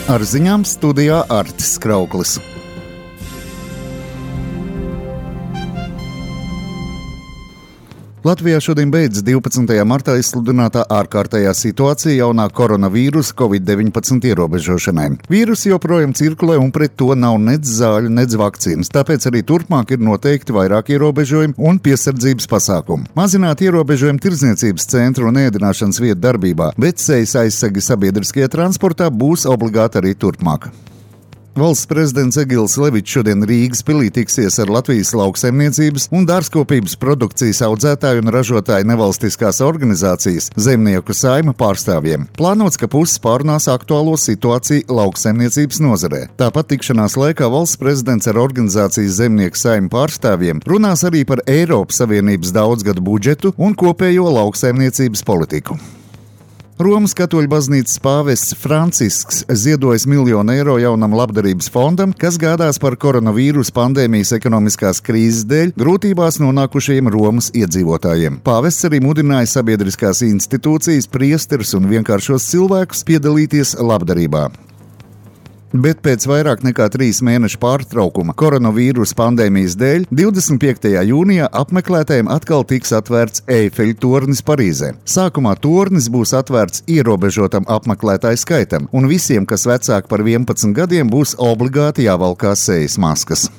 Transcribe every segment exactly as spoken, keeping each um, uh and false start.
Ar ziņām studijā Artis Krauklis. Latvijā šodien beidzas divpadsmitajā martā izsludinātā ārkārtējā situācija jaunā koronavīrusa covid deviņpadsmit ierobežošanai. Vīrus joprojām cirkulē un pret to nav nec zāļu, nec vakcīnas, tāpēc arī turpmāk ir noteikti vairāk ierobežojumi un piesardzības pasākumu. Mazināt ierobežojumu tirdzniecības centru un ēdināšanas vietu darbībā, bet sejas aizsegi sabiedriskajā transportā būs obligāti arī turpmāk. Valsts prezidents Egils Levičs šodien Rīgas pilī tiksies ar Latvijas lauksaimniecības un dārzkopības produkcijas audzētāju un ražotāju nevalstiskās organizācijas Zemnieku saima pārstāvjiem. Plānots, ka puses pārunās aktuālo situāciju lauksaimniecības nozarē. Tāpat tikšanās laikā valsts prezidents ar organizācijas Zemnieku saima pārstāvjiem runās arī par Eiropas Savienības daudzgadu budžetu un kopējo lauksaimniecības politiku. Romas katoļu baznīcas pāvests Francisks ziedojis miljonu eiro jaunam labdarības fondam, kas gādās par koronavīrusa pandēmijas ekonomiskās krīzes dēļ grūtībās nonākušajiem Romas iedzīvotājiem. Pāvests arī mudināja sabiedriskās institūcijas, priesterus un vienkāršos cilvēkus piedalīties labdarībā. Bet pēc vairāk nekā trīs mēnešu pārtraukuma koronavīrusa pandēmijas dēļ divdesmit piektajā jūnijā apmeklētājiem atkal tiks atvērts Eifeļa tornis Parīzē. Sākumā tornis būs atvērts ierobežotam apmeklētāju skaitam, un visiem, kas vecāki par vienpadsmit gadiem, būs obligāti jāvalkā sejas maskas.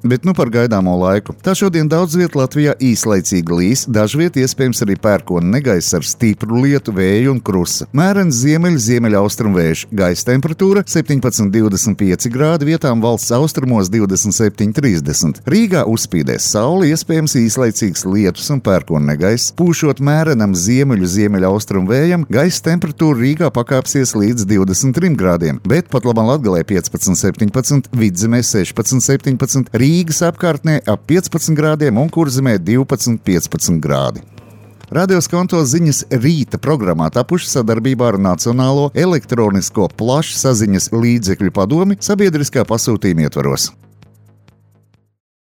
Bet nu par gaidāmo laiku. Tā šodien daudz viet Latvijā īslaicīgi līs, dažviet iespējams arī pērkona negaiss ar stipru lietu, vēju un krusa. Mērens ziemeļu ziemeļaustrumu vējš, gaisa temperatūra septiņpadsmit līdz divdesmit pieci grādi, vietām valsts austrumos divdesmit septiņi līdz trīsdesmit. Rīgā uzspīdēs saule, iespējams īslaicīgs lietus un pērkona negaiss. Pūšot mērenam ziemeļu ziemeļaustrumu vējam, gaisa temperatūra Rīgā pakāpsies līdz divdesmit trim grādiem, bet pat labam Latgalē piecpadsmit līdz septiņpadsmit, Vidzemē sešpadsmit līdz septiņpadsmit, Rīgas apkārtnē ap piecpadsmit grādiem un Kurzemē divpadsmit līdz piecpadsmit grādi. Radio Skonto ziņas rīta programmā tapuši sadarbībā ar Nacionālo elektronisko plašsaziņas līdzekļu padomi sabiedriskā pasūtījuma ietvaros.